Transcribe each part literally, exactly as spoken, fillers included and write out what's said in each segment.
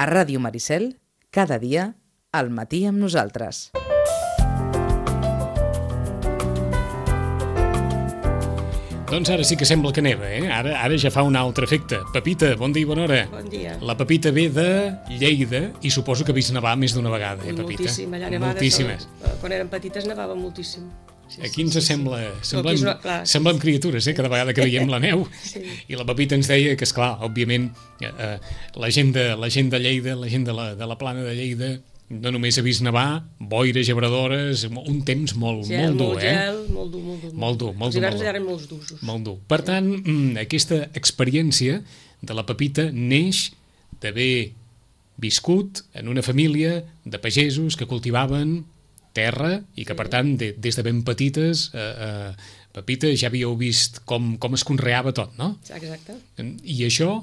A Ràdio Maricel, cada dia, al matí amb nosaltres. Doncs ara sí que sembla que neva, eh? Ara, ara ja fa un altre efecte. Pepita, bon dia i bona hora. Bon dia. La Pepita ve de Lleida i suposo que ha vist nevar més d'una vegada, eh, Pepita? Moltíssim, allà nevades. Moltíssimes. Quan érem petites nevava moltíssim. Sí, Aquí ens sí, sí, sembla, sí. semblem, No, una, clar, semblem criatures, eh, cada vegada que veiem la neu. Sí. I la Pepita ens deia que, esclar, òbviament, eh, la, gent de, la gent de Lleida, la gent de la, de la plana de Lleida, no només ha vist nevar, boires, gebradores, un temps molt, gel, molt dur, molt eh? Gel, molt dur, molt dur. Molt dur, molt Els dur. hiverns molt dur. eren molts d'usos. Molt dur. Per tant, aquesta experiència de la Pepita neix d'haver viscut en una família de pagesos que cultivaven terra i que, per tant, de, des de ben petites, eh, eh, Pepita, ja havíeu vist com, com es conreava tot, no? Exacte. I això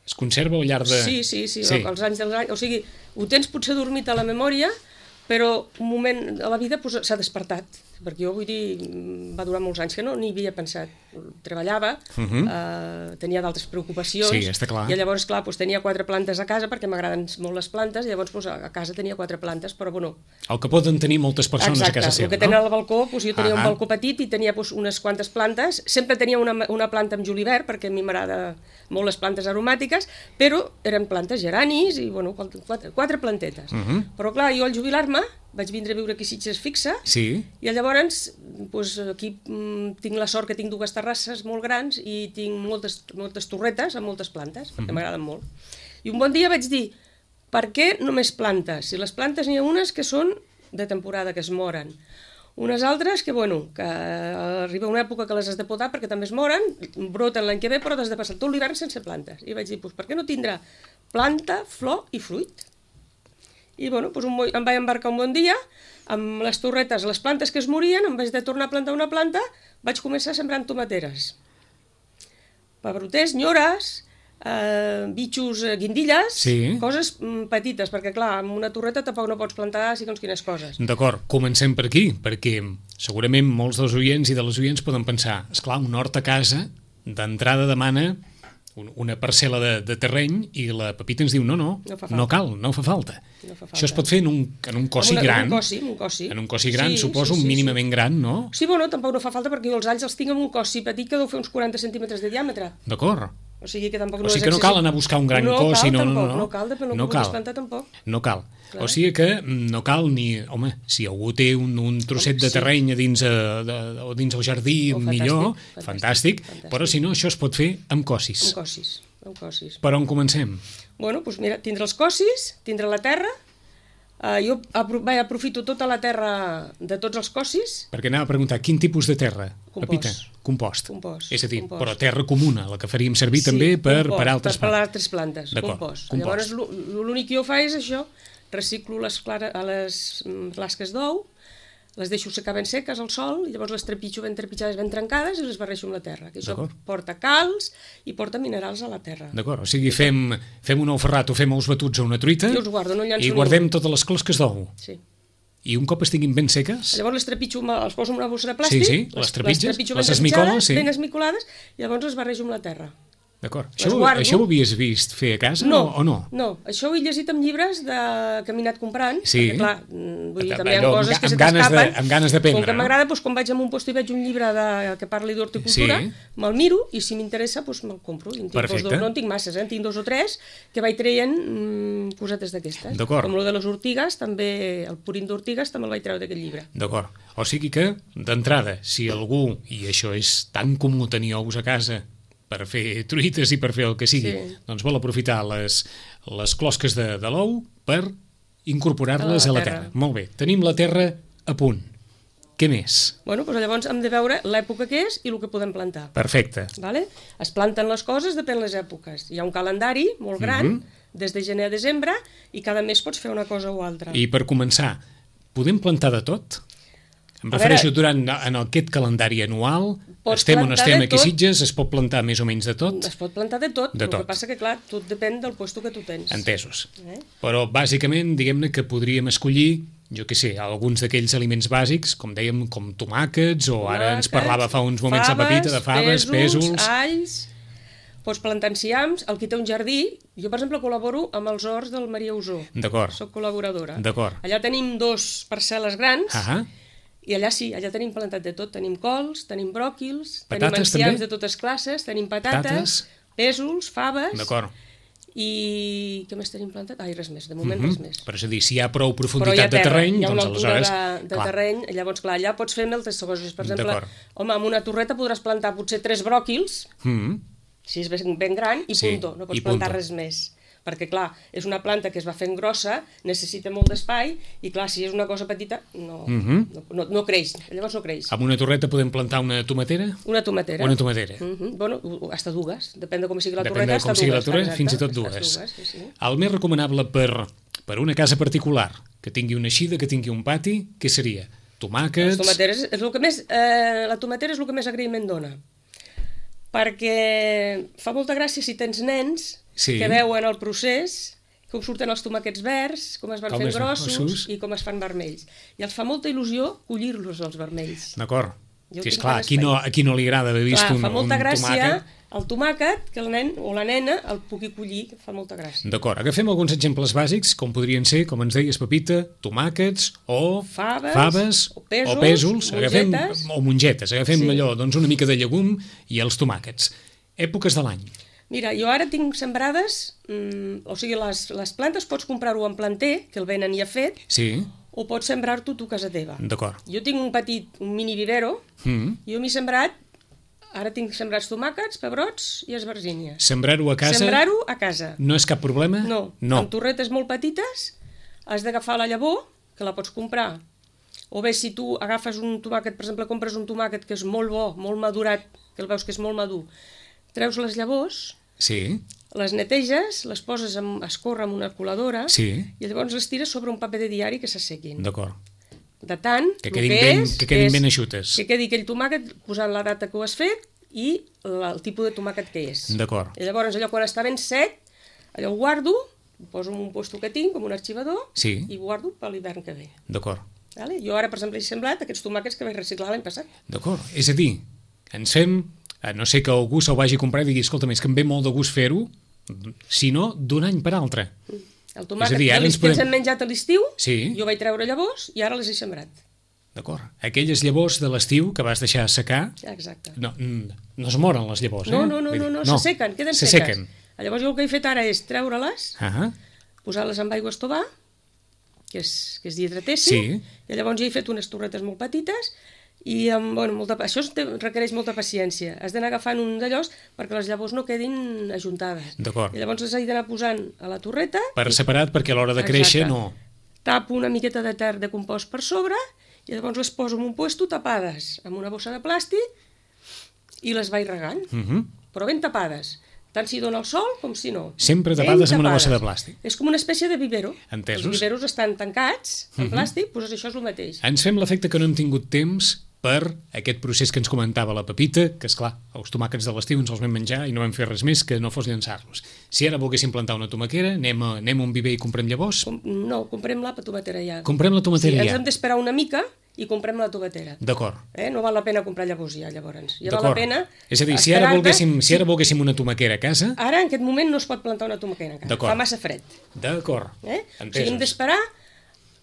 es conserva al llarg de... Sí, sí, sí, sí. Els anys dels anys... O sigui, ho tens potser dormit a la memòria, però un moment a la vida pues, s'ha despertat, perquè jo vull dir, va durar molts anys que no n'hi havia pensat. Treballava, uh -huh. eh, tenia d'altres preocupacions, sí, està clar. I llavors, clar, pues, tenia quatre plantes a casa, perquè m'agraden molt les plantes, i llavors pues, a casa tenia quatre plantes, però bueno... El que poden tenir moltes persones exacte, a casa seva, el que no? tenen al balcó, pues, jo tenia uh -huh. un balcó petit i tenia pues, unes quantes plantes, sempre tenia una, una planta amb julivert, perquè a mi m'agrada molt les plantes aromàtiques, però eren plantes geranis i, bueno, quatre, quatre plantetes. Uh -huh. Però, clar, jo al jubilar-me vaig vindre a viure aquí a Sitges fixa, sí. I llavors pues, aquí mm, tinc la sort que tinc dues terrasses molt grans i tinc moltes, moltes torretes amb moltes plantes, perquè uh -huh. m'agraden molt. I un bon dia vaig dir, per què només plantes? Si les plantes n'hi ha unes que són de temporada, que es moren, unes altres que, bueno, que arriba una època que les has de podar perquè també es moren, broten l'any que ve, però has de passar tot l'hivern sense plantes. I vaig dir, pues, per què no tindrà planta, flor i fruit? I bueno, doncs un, em vaig embarcar un bon dia, amb les torretes, les plantes que es morien, em vaig de tornar a plantar una planta, vaig començar sembrant tomateres. Pebroters, nyores, eh, bitxos, guindilles, sí. Coses mm, petites, perquè clar, amb una torreta tampoc no pots plantar segons quines coses. D'acord, comencem per aquí, perquè segurament molts dels oients i de les oients poden pensar, esclar, un hort a casa, d'entrada demana una parcel·la de, de terreny i la Pepita ens diu no, no, no, no cal, no fa falta. No fa falta. Això es pot fer en un, en un cossi una, gran. En un cossi, un cossi. En un cossi gran, sí, suposo, sí, sí, mínimament sí. gran, no? Sí, bueno, tampoc no fa falta perquè jo els alls els tinc en un cossi petit que deu fer uns quaranta centímetres de diàmetre. D'acord. O sigui que tampoc o no sigui és que no cal anar a buscar un gran no cossi, cal, no, tampoc, no, no. No cal, depèn del no que cal. vulguis plantar tampoc. No cal. Clar. O sigui que no cal ni... Home, si algú té un, un trosset de terreny a dins, a, de, o dins el jardí, oh, millor, fantàstic, fantàstic, fantàstic, però si no, això es pot fer amb cossis. Amb cossis, amb cossis. Per on comencem? Bueno, doncs mira, tindre els cossis, tindre la terra. Uh, jo apro vaig, aprofito tota la terra de tots els cossis. Perquè anava a preguntar, quin tipus de terra? Compost. Pepita? Compost. Compost. És a dir, compost. però terra comuna, la que faríem servir sí, també per, compost, per altres per, per altres plantes. Compost. compost. Llavors, l'únic que jo faig és això, reciclo les, clara, a les flasques d'ou, les deixo secar ben seques al sol, i llavors les trepitjo ben trepitjades, ben trencades, i les barreixo amb la terra. Que això porta calç i porta minerals a la terra. D'acord, o sigui, fem, fem un ou ferrat o fem ous batuts a una truita jo els guardo, no i guardem totes les closques d'ou. Sí. I un cop estiguin ben seques... Llavors les trepitjo, els poso en una bossa de plàstic, sí, sí, les trepitges, les, les esmicoles, sí. ben esmicolades, i llavors les barrejo amb la terra. D'acord. Això, això ho havies vist fer a casa no, o, o no? No, això ho he llegit en llibres de... que he anat comprant, sí. perquè clar, vull dir, també hi ha Allò, coses que se t'escapen. t'escapen. Amb ganes d'aprendre, Com que no? m'agrada, doncs, quan vaig a un lloc i veig un llibre de... que parli d'horticultura, sí. me'l miro i si m'interessa doncs me'l compro. En tinc dos, no en tinc masses, eh? En tinc dos o tres que vaig traient mmm, cosetes d'aquestes. Com el de les ortigues, també, el purín d'ortigues també el vaig treure d'aquest llibre. D'acord. O sigui que, d'entrada, si algú, i això és tan comú tenir ous a casa, per fer truites i per fer el que sigui, sí. doncs vol aprofitar les, les closques de, de l'ou per incorporar-les a la, a la terra. terra. Molt bé, tenim la terra a punt. Què més? Bueno, doncs llavors hem de veure l'època que és i el que podem plantar. Perfecte. Vale? Es planten les coses depèn les èpoques. Hi ha un calendari molt gran, mm-hmm. des de gener a desembre, i cada mes pots fer una cosa o altra. I per començar, podem plantar de tot? Em refereixo veure, durant en aquest calendari anual, estem on estem aquí a Sitges, es pot plantar més o menys de tot? Es pot plantar de tot, de el tot. que passa que, clar, tot depèn del puesto que tu tens. Entesos. Eh? Però, bàsicament, diguem-ne que podríem escollir, jo què sé, alguns d'aquells aliments bàsics, com dèiem, com tomàquets, o ara ens parlava fa uns moments faves, la Pepita de faves, pèsols... alls... pots plantar enciams, el qui té un jardí, jo per exemple col·laboro amb els horts del Maria Usó. D'acord. Soc col·laboradora. D'acord. Allà tenim dos parcel·les grans, Ah, i allà sí, allà tenim plantat de tot. Tenim cols, tenim bròquils, tenim Patates, enciams també? de totes classes, tenim patates, Patates. pèsols, faves, d'acord. i què més tenim plantat? Ai, res més, de moment Mhm. res més. Però és a dir, si hi ha prou Però hi ha profunditat de terra, terreny, hi ha una doncs altura aleshores... de, de terreny, llavors clar, allà pots fer moltes coses. Per exemple, D'acord. home, amb una torreta podràs plantar potser tres bròquils, Mm, si és ben, ben gran, i Sí, punto, no pots i plantar punto. res més. Perquè, clar, és una planta que es va fent grossa, necessita molt d'espai, i clar, si és una cosa petita, no, Mhm. no, no, no creix, llavors no creix. amb una torreta podem plantar una tomatera? Una tomatera. Una tomatera. Mm -hmm. Bueno, hasta dues, depèn de com sigui la Depèn torreta, de com hasta sigui la dues, torreta, exacte, fins i tot hasta dues. sí, sí. El més recomanable per, per una casa particular, que tingui una eixida, que tingui un pati, què seria? Tomàquets... Les tomateres és el que més, eh, la tomatera és el que més agraïment dona. Perquè fa molta gràcia si tens nens Sí. que veuen el procés, com surten els tomàquets verds, com es van Com fent es van grossos grossos. i com es fan vermells. I els fa molta il·lusió collir-los, els vermells. D'acord. Jo Sí, és tinc clar, ganes aquí no, de- aquí no li agrada haver vist Clar, un, fa molta un gràcia tomàquet. el tomàquet que el nen o la nena el pugui collir, fa molta gràcia. D'acord, agafem alguns exemples bàsics, com podrien ser, com ens deies, Pepita, tomàquets o Faves, faves o pèsols, o pèsols, agafem, mongetes. o mongetes, agafem Sí. allò, doncs una mica de llegum i els tomàquets. Èpoques de l'any. Mira, jo ara tinc sembrades, mmm, o sigui, les, les plantes pots comprar-ho en planter, que el venen ja fet, Sí, o pots sembrar-t'ho tu a casa teva. d'acord. Jo tinc un petit, un mini vivero, Mm. jo m'he sembrat, ara tinc sembrats tomàquets, pebrots i esbarzínies. Sembrar-ho a casa Sembrar-ho a casa. no és cap problema? No, no. amb torretes molt petites, has d'agafar la llavor, que la pots comprar, o bé si tu agafes un tomàquet, per exemple, compres un tomàquet que és molt bo, molt madurat, que el veus que és molt madur, treus les llavors, Sí, les neteges, les poses a escórrer amb una coladora, sí, i llavors les tires sobre un paper de diari que s'assequin. d'acord. De tant, Que el quedin que ben- és, que quedin és ben eixutes. Que quedi aquell tomàquet posant la data que ho has fet i la- el tipus de tomàquet que és. D'acord. I llavors allò quan està ben sec, allò ho guardo, ho poso en un lloc que tinc, com un arxivador, Sí. i ho guardo per l'hivern que ve. D'acord. Vale? Jo ara, per exemple, he semblat aquests tomàquets que vaig reciclar l'any passat. D'acord. És a dir, ens fem, a no sé que algú se'l vagi a comprar i digui, escolta, és que em ve molt de gust fer-ho, si no, d'un any per altre. El tomàquet És a dir, ara que ens els podem... podem- hem menjat a l'estiu, Sí. jo vaig treure llavors i ara les he sembrat. D'acord. Aquelles llavors de l'estiu que vas deixar assecar, Exacte. no, mm, no es moren les llavors, eh? No, no, no, Vull no, dir, no, s'assequen, queden seques. S'assequen. Llavors jo el que he fet ara és treure-les, Ah, posar-les amb aigua estovar, que és, que és dietretèssim, Sí. i llavors ja he fet unes torretes molt petites, i amb, bueno, molta, això es té- requereix molta paciència. Has d'anar agafant un d'allòs perquè les llavors no quedin ajuntades. D'acord. I llavors les he d'anar posant a la torreta, per separat, perquè a l'hora de créixer Exacte. no... tapo una miqueta de terra de compost per sobre, i llavors les poso en un puesto tapades amb una bossa de plàstic i les vaig regant, Uh -huh. però ben tapades, tant si dona el sol com si no. Sempre Ben tapades amb una bossa de tapades. plàstic. És com una espècie de vivero. Entesos. Els viveros estan tancats en plàstic, doncs això és el mateix. Ens fem l'efecte que no hem tingut temps per aquest procés que ens comentava la Pepita, que és clar, els tomàquets de l'estiu ens els vam menjar i no vam fer res més que no fos llançar-los. Si ara volguéssim plantar una tomaquera, anem a, anem a un viver i comprem llavors? Com, no, comprem la tomatera ja. Comprem la tomatera sí, ens ja. hem d'esperar una mica i comprem la tomatera. D'acord. Eh? No val la pena comprar llavors ja, llavors. Ja val la D'acord. pena... És a dir, si ara, esperar-te- volguéssim, si ara volguéssim una tomaquera a casa... Ara, en aquest moment, no es pot plantar una tomaquera encara. D'acord. Fa massa fred. D'acord. Eh? O sigui, hem Entesos. d'esperar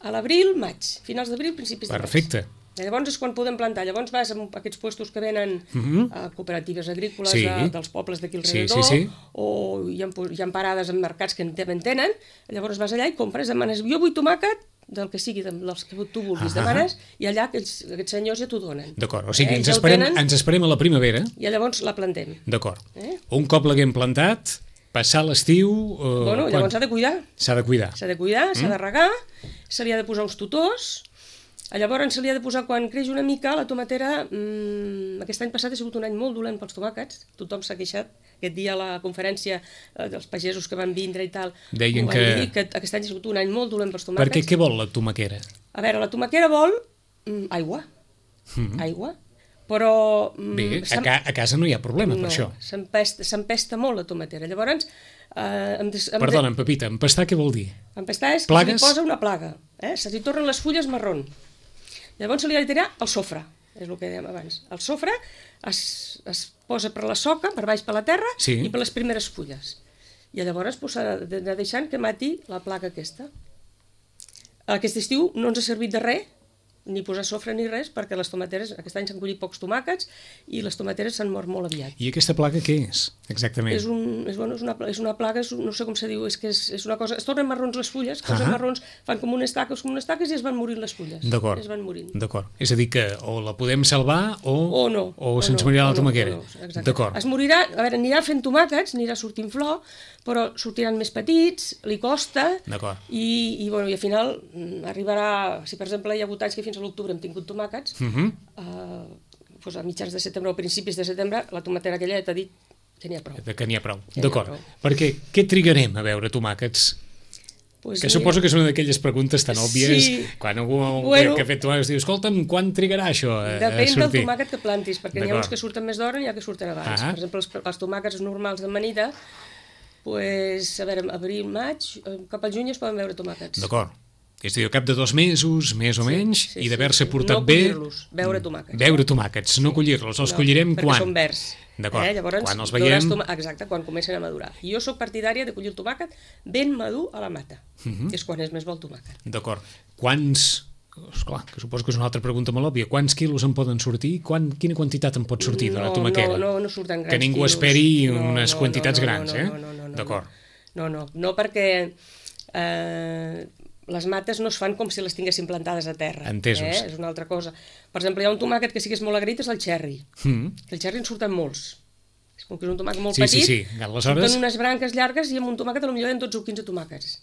a l'abril, maig. Finals d'abril, principis de maig. Perfecte. I llavors és quan podem plantar. Llavors vas a aquests puestos que venen Mhm. a cooperatives agrícoles Sí. de, dels pobles d'aquí Sí, alrededor, sí, sí. o hi ha, hi ha parades en mercats que en te- en tenen, llavors vas allà i compres, demanes, jo vull tomàquet, del que sigui, de- dels que tu vulguis, Ah. demanes, i allà aquells, aquests senyors ja t'ho donen. D'acord. O sigui, Eh, ens, ja ho esperem, tenen. ens esperem a la primavera. I llavors la plantem. D'acord. Eh? Un cop l'haguem plantat, passar l'estiu... Eh, Bueno, quan? llavors s'ha de cuidar. S'ha de cuidar. S'ha de cuidar, s'ha Mm. de regar, se li ha de posar uns tutors, llavors se li ha de posar, quan creix una mica, la tomatera, mmm, aquest any passat ha sigut un any molt dolent pels tomàquets, tothom s'ha queixat, aquest dia a la conferència eh, dels pagesos que van vindre i tal, Deien ho van que- dir, que aquest any ha sigut un any molt dolent pels tomàquets. Perquè què vol la tomaquera? A veure, la tomaquera vol mm, aigua, Mm. aigua, però... mm, Bé, a, s'em- ca a casa no hi ha problema per no, això. s'empesta s'empesta molt la tomatera. Llavors, eh, em des, em de- Perdona, Pepita, empastar què vol dir? Empestar és que Plagues? se li posa una plaga, eh? Se li tornen les fulles marrón. Llavors se li ha de tirar el sofre. és el que dèiem abans. El sofre es, es posa per la soca, per baix per la terra, sí. i per les primeres fulles. I llavors pues, s'ha d'anar deixant que mati la placa aquesta. Aquest estiu no ens ha servit de res, ni posar sofre ni res, perquè les tomateres, aquest any s'han collit pocs tomàquets i les tomateres s'han mort molt aviat. I aquesta plaga què és, exactament? És, un, és, bueno, és, una, és una plaga, és, no sé com se diu, és que és, és una cosa... Es tornen marrons les fulles, causen uh-huh. marrons, fan com unes taques, com unes taques i es van morint les fulles. D'acord, es van morint. d'acord. És a dir que o la podem salvar o, o no. O, o se'ns no, morirà o la tomaquera. No, no, no, d'acord. Es morirà, a veure, anirà fent tomàquets, anirà sortint flor, però sortiran més petits, li costa, i, i, bueno, i al final arribarà... Si, per exemple, hi ha hagut anys que fins a l'octubre hem tingut tomàquets, uh-huh. uh, doncs a mitjans de setembre o principis de setembre, la tomatera aquella ja t'ha dit que n'hi ha prou. Que n'hi ha prou, d'acord. Perquè què trigarem a veure tomàquets? Pues que mira, suposo que és una d'aquelles preguntes tan òbvies, sí. quan algú bueno, que, que ha fet tomàquets diu, escolta'm, quan trigarà això a, depèn a sortir? Del tomàquet que plantis, perquè n'hi ha uns que surten més d'hora i n'hi ha que surten abans. Ah. Per exemple, els, els tomàquets normals d'amanida, pues, a veure, abril, maig, cap al juny es poden veure tomàquets. D'acord. És a dir, al cap de dos mesos, més o menys, sí, sí, i d'haver-se sí, portat no bé... No collir-los, veure tomàquets. Veure tomàquets, no collir-los. Els no, collirem quan? Perquè són verds. D'acord, eh? Llavors, quan els veiem... Tom... Exacte, quan comencen a madurar. I jo sóc partidària de collir el tomàquet ben madur a la mata. Uh-huh. És quan és més bo el tomàquet. D'acord. Quants... Esclar, que suposo que és una altra pregunta molt òbvia. Quants quilos en poden sortir? Quan... Quina quantitat en pot sortir no, d'una tomaquera? No, no, no surten grans que ningú quilos. esperi no, unes no, quantitats no, no, grans, no, eh? No, no, no, no, D'acord. No, no, no, perquè... Eh, les mates no es fan com si les tinguessin plantades a terra. Entesos. Eh? És una altra cosa. Per exemple, hi ha un tomàquet que sí que és molt agraït, és el cherry. Mm. El cherry en surten molts. És com que és un tomàquet molt sí, petit, sí, sí. Aleshores... surten unes branques llargues i amb un tomàquet potser hi ha dotze o quinze tomàquets.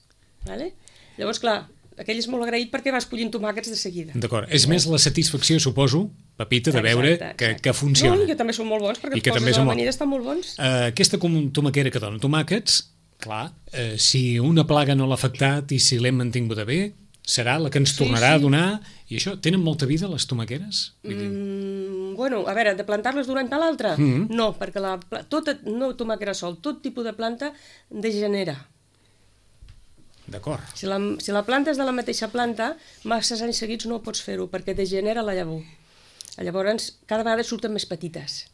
Vale? Llavors, clar, aquell és molt agraït perquè vas collint tomàquets de seguida. D'acord. És més la satisfacció, suposo, Pepita, de veure exacte, exacte. Que, que funciona. No, i que també són molt bons, perquè els poses a l'amanida estan molt bons. Uh, aquesta tomaquera que dona tomàquets, clar, uh, si una plaga no l'ha afectat i si l'hem mantingut bé, serà la que ens tornarà sí, sí. a donar... I això, tenen molta vida, les tomaqueres? Mm, bueno, a veure, de plantar-les d'un any per l'altre? Mm -hmm. No, perquè la, tota, no tomaquera sol, tot tipus de planta degenera. D'acord. Si la, si la planta és de la mateixa planta, massa anys seguits no pots fer-ho, perquè degenera la llavor. Llavors, cada vegada surten més petites.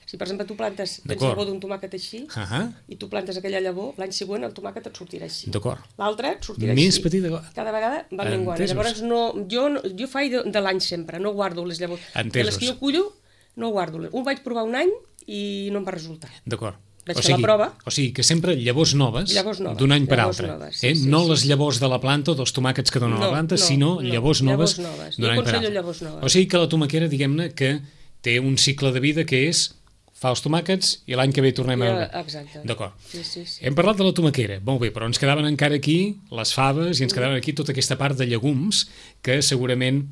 Si, per exemple, tu plantes la llavor d'un tomàquet així, uh -huh. i tu plantes aquella llavor, l'any següent el tomàquet et sortirà així. D'acord. L'altre et sortirà més així. Petit de... Cada vegada van menguant. Llavors, no, jo, jo faig de, de l'any sempre, no guardo les llavors. Entesos. De les que jo cullo, no guardo. Un vaig provar un any i no em va resultar. D'acord. Vaig o fer sigui, la prova. O sigui, que sempre llavors noves, llavors noves d'un any per llavors altre. Noves, sí, eh? sí, no sí. les llavors de la planta o dels tomàquets que donen no, la planta, no, sinó no, llavors noves, llavors noves. d'un any per altre. Llavors noves. O sigui que la tomaquera, diguem-ne, que té un cicle de vida que és fa els tomàquets i l'any que ve tornem a veure. Exacte. D'acord. Sí, sí, sí. Hem parlat de la tomaquera, molt bé, però ens quedaven encara aquí les faves i ens quedaven aquí tota aquesta part de llegums que segurament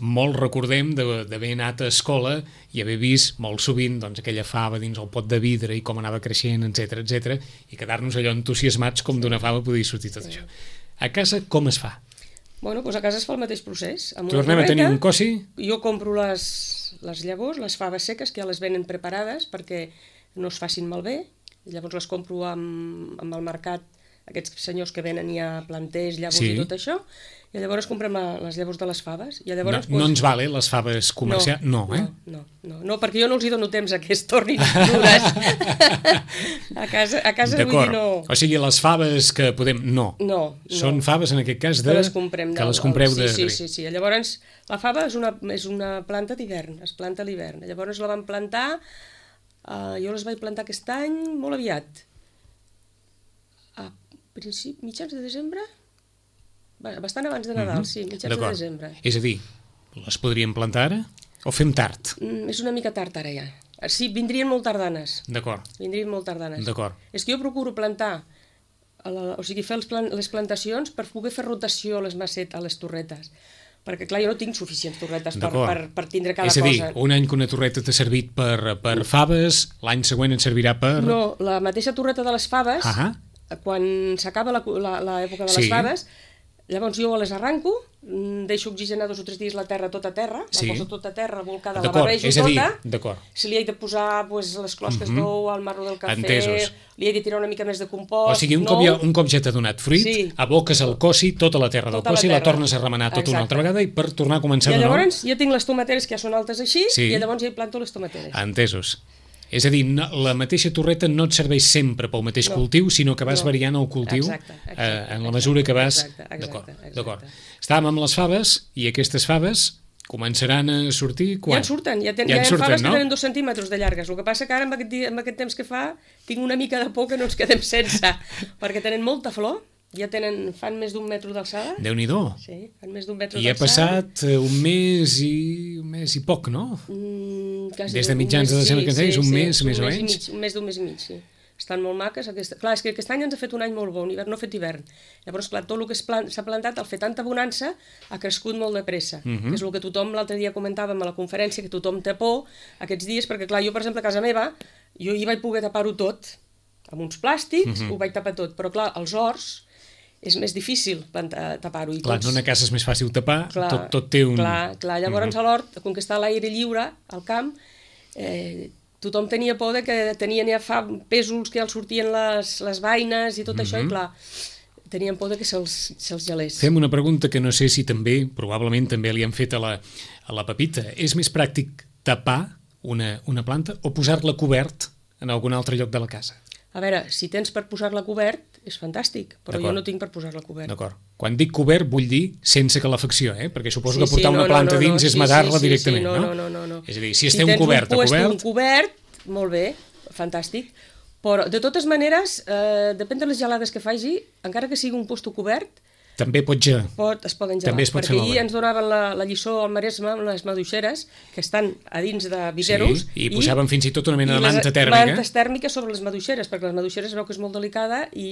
molt recordem d'haver anat a escola i haver vist molt sovint doncs, aquella fava dins el pot de vidre i com anava creixent, etcètera, etcètera, i quedar-nos allò entusiasmats com d'una fava podia sortir tot això. A casa com es fa? Bueno, doncs a casa es fa el mateix procés. Amb Tornem a tenir un cossi? Jo compro les, les llavors, les faves seques, que ja les venen preparades perquè no es facin malbé. Llavors les compro amb, amb el mercat, aquests senyors que venen ja planters, llavors sí. I tot això, i llavors comprem les llavors de les faves. I llavors, no, pues... no ens vale les faves comercials? No, no, eh? no, no, no, perquè jo no els hi dono temps a que es tornin dures. a casa, a casa vull dir no... O sigui, les faves que podem... No. No, no. Són faves, en aquest cas, de... que les comprem. Que les compreu de... Sí, sí, sí, sí. Llavors, la fava és una, és una planta d'hivern, es planta a l'hivern. Llavors la van plantar, uh, jo les vaig plantar aquest any molt aviat. A principi, mitjans de desembre? Bastant abans de Nadal, mm-hmm. sí, mitjans de desembre. És a dir, les podríem plantar ara o fem tard? Mm, és una mica tard ara ja. Sí, vindrien molt tardanes. D'acord. Vindrien molt tardanes. D'acord. És que jo procuro plantar, a la, o sigui, fer els plan, les plantacions per poder fer rotació a les macet, a les torretes. Perquè, clar, jo no tinc suficients torretes per, per, per tindre cada cosa. És a dir, cosa. Un any que una torreta t'ha servit per, per faves, l'any següent et servirà per... No, la mateixa torreta de les faves, uh-huh. quan s'acaba l'època de les sí. faves, Llavors jo les arranco, deixo oxigenar dos o tres dies la terra tota terra, Sí. la poso tota terra, volcada, la D'acord, barrejo és a dir, tota. d'acord. Si li he de posar pues, les closques Mhm. d'ou, el marro del cafè, Entesos. li he de tirar una mica més de compost, O sigui, un cop, nou. ja, un cop ja t'ha donat fruit, Sí. aboques el cossi, tota la terra del Tota la cossi, la terra. tornes a remenar tota una Exacte. altra vegada i per tornar a començar I de nou. llavors jo tinc les tomateres que ja són altes així, Sí. i llavors ja hi planto les tomateres. Entesos. És a dir, no, la mateixa torreta no et serveix sempre pel mateix No. cultiu, sinó que vas No. variant el cultiu Exacte, exacte, eh, en la exacte, mesura que vas... exacte, exacte, D'acord, exacte. d'acord. Estàvem amb les faves i aquestes faves començaran a sortir quan? Ja en surten, ja, ten, Ja ja, en hi ha surten, faves no? que tenen dos centímetres de llargues. El que passa que ara amb aquest, dia, amb aquest temps que fa tinc una mica de por que no ens quedem sense, perquè tenen molta flor, ja tenen, fan més d'un metre d'alçada. Déu-n'hi-do. Sí, fan més d'un metre I ha d'alçada. passat eh, un mes i un mes i poc, no? Mm, quasi Des de un mitjans mes, de desembre que ens deies, un mes, un més o mes i menys? mig, un mes d'un mes i mig, sí. Estan molt maques. Aquesta... Clar, és que aquest any ens ha fet un any molt bo, un hivern, no ha fet hivern. Llavors, clar, tot el que s'ha plan... plantat, al fer tanta bonança, ha crescut molt de pressa. Uh Mhm. -huh. Que és el que tothom, l'altre dia comentàvem a la conferència, que tothom té por aquests dies, perquè clar, jo, per exemple, a casa meva, jo hi vaig poder tapar-ho tot, amb uns plàstics, uh Mhm. -huh. ho vaig tapar tot, però clar, els horts és més difícil plantar- tapar-ho. i Clar, tots- en una casa és més fàcil tapar, Clar, tot, tot té un... Clar, clar. Llavors Mhm. a l'hort, com que està a l'aire lliure, al camp, eh, tothom tenia por de que tenien ja fa pèsols que ja els sortien les, les vaines i tot això, i clar, tenien por de que se'ls se gelés. Fem una pregunta que no sé si també, probablement també li han fet a la, a la Pepita. És més pràctic tapar una, una planta o posar-la cobert en algun altre lloc de la casa? A veure, si tens per posar-la cobert, és fantàstic, però jo D'acord. no tinc per posar-la cobert. D'acord. Quan dic cobert vull dir sense calefacció, eh? Perquè suposo Sí, que portar sí, una no, planta no, no, dins no, és sí, matar-la sí, sí, directament, sí, no, no? no, no, no. És a dir, si esté tens un cobert a puesto cobert... un cobert, molt bé, fantàstic, però de totes maneres, eh, depèn de les gelades que faci, encara que sigui un puesto cobert, També pot ja... pot, es poden gelar. També es pot fer perquè malbé. ahir ens donaven la, la lliçó al Maresme amb les maduixeres, que estan a dins de viveros. Sí, i posaven fins i tot una mena de i les manta tèrmica. mantes tèrmiques sobre les maduixeres, perquè les maduixeres veu que és molt delicada i,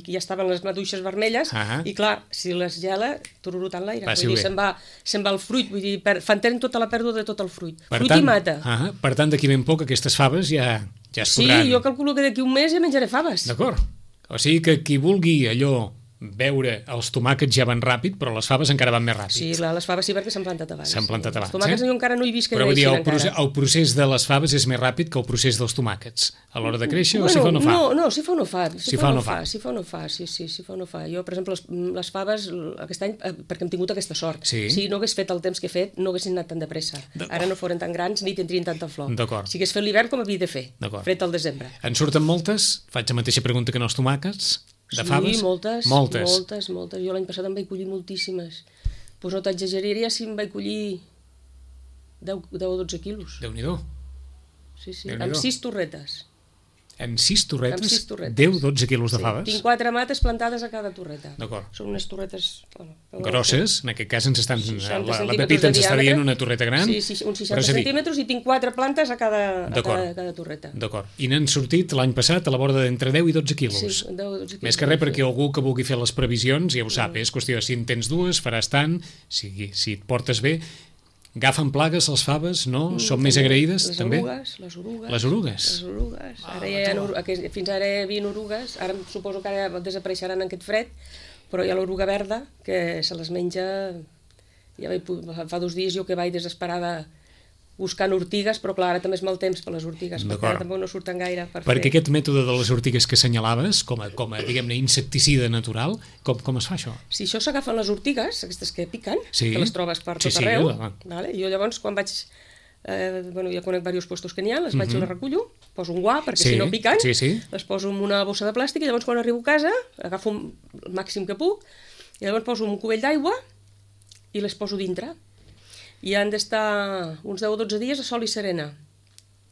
i ja estaven les maduixes vermelles, Ah. i clar, si les gela, tururutant l'aire. Passi Vull dir, bé. se'n va, se'n va el fruit, vull dir, per, fan tenen tota la pèrdua de tot el fruit. Per fruit tant, i mata. Ah, per tant, d'aquí ben poc aquestes faves ja, ja es sí, podran... jo calculo que d'aquí un mes ja menjaré faves. D'acord. O sigui que qui vulgui allò veure els tomàquets ja van ràpid, però les faves encara van més ràpid. Sí, clar, les faves sí, perquè s'han plantat abans. S'han plantat abans, Els tomàquets eh? jo encara no he vist que Però vull dir, creixin el, procés, encara. el procés de les faves és més ràpid que el procés dels tomàquets. A l'hora de créixer o si fa o no fa? No, no, si fa o no fa. Si, Si fa o no fa. Si fa o no fa, sí, sí, si fa o no fa. Jo, per exemple, les, les faves, aquest any, eh, perquè hem tingut aquesta sort. Sí. Si no hagués fet el temps que he fet, no haguessin anat tan de pressa. D'acord. Ara no foren tan grans ni tindrien tanta flor. D'acord. Si hagués fet l'hivern com havia de fer, D'acord. fred al desembre. En surten moltes? Faig la mateixa pregunta que en els tomàquets? De sí, faves? moltes, Moltes. moltes, moltes. Jo l'any passat en vaig collir moltíssimes. Doncs no t'exageraria si em vaig collir deu o dotze quilos. Déu-n'hi-do. Sí, sí, Déu-n'hi-do. amb sis torretes. En sis torretes, Amb sis torretes. deu a dotze quilos de Sí, faves? tinc quatre mates plantades a cada torreta. D'acord. Són unes torretes... Bueno, Grosses, en aquest cas ens estan, seixanta la, la centímetres Pepita de ens està diàmetre. dient una torreta gran. Sí, sí, uns però seixanta és a dir, centímetres i tinc quatre plantes a cada, a D'acord. cada, cada torreta. D'acord. I n'han sortit l'any passat a la borda d'entre deu i dotze quilos. Sí, deu o dotze quilos. Més que res perquè algú que vulgui fer les previsions ja ho sap, és qüestió de si en tens dues, faràs tant, si, si et portes bé. Agafen plagues les faves, no? Són més agraïdes, les també? Orugues, les orugues. Les orugues? Les orugues. Ah, Ara ja hi ha, tu. oru- aquest- fins ara hi havia orugues, ara suposo que ara desapareixeran en aquest fred, però hi ha l'oruga verda, que se les menja... Ja vaig, pu- fa dos dies jo que vaig desesperada buscant ortigues, però clar, ara també és mal temps per les ortigues, perquè D'acord. ara tampoc no surten gaire per Perquè fer. aquest mètode de les ortigues que assenyalaves, com a, com a diguem-ne, insecticida natural, com, com es fa això? Si això s'agafen les ortigues, aquestes que piquen, Sí. que les trobes per Sí, tot sí, arreu, la- vale? Jo llavors quan vaig, eh, bueno, ja conec diversos puestos que n'hi ha, les vaig i les recullo, poso un guà perquè Sí, si no piquen, sí, sí. les poso en una bossa de plàstic i llavors quan arribo a casa agafo un, el màxim que puc i llavors poso un cubell d'aigua i les poso dintre. I han d'estar uns deu o dotze dies a sol i serena.